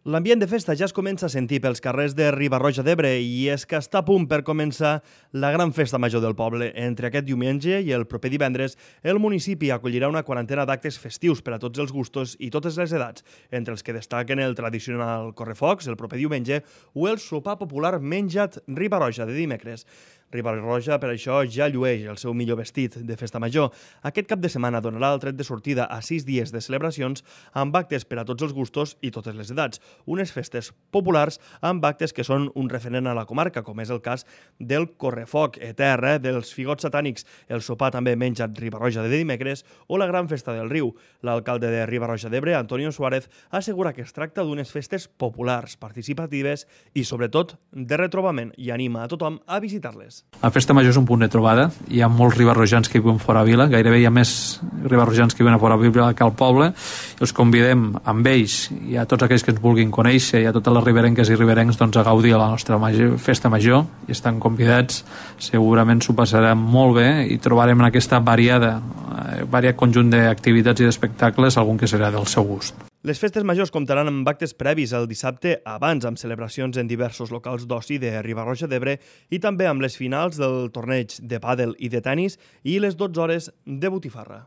L'ambient de festa ja es comença a sentir pels carrers de Riba-roja d'Ebre i és que està a punt per començar la gran festa major del poble. Entre aquest diumenge i el proper divendres, el municipi acollirà una quarantena d'actes festius per a tots els gustos i totes les edats, entre els que destaquen el tradicional correfocs el proper diumenge o el sopar popular menjat Riba-roja de dimecres. Riba-roja, per això, ja llueix el seu millor vestit de festa major. Aquest cap de setmana donarà el tret de sortida a 6 dies de celebracions amb actes per a tots els gustos i totes les edats. Unes festes populars amb actes que són un referent a la comarca, com és el cas del correfoc etern, dels figots satànics, el sopar també menjat Riba-roja de dimecres o la gran festa del riu. L'alcalde de Riba-roja d'Ebre, Antonio Suárez, assegura que es tracta d'unes festes populars, participatives i, sobretot, de retrobament i anima a tothom a visitar-les. La festa major és un punt de trobada. Hi ha molts ribarrojans que viuen fora vila, gairebé hi ha més ribarrojans que viuen a fora vila que al poble. Els convidem amb ells i a tots aquells que ens vulguin conèixer i a totes les riberenques i riberencs a gaudir de la nostra festa major i estan convidats. Segurament s'ho passarem molt bé i trobarem en aquesta variat conjunt d'activitats i d'espectacles algun que serà del seu gust. Les festes majors comptaran amb actes previs el dissabte abans, amb celebracions en diversos locals d'oci de Riba-roja d'Ebre i també amb les finals del torneig de pàdel i de tennis i les 12 hores de botifarra.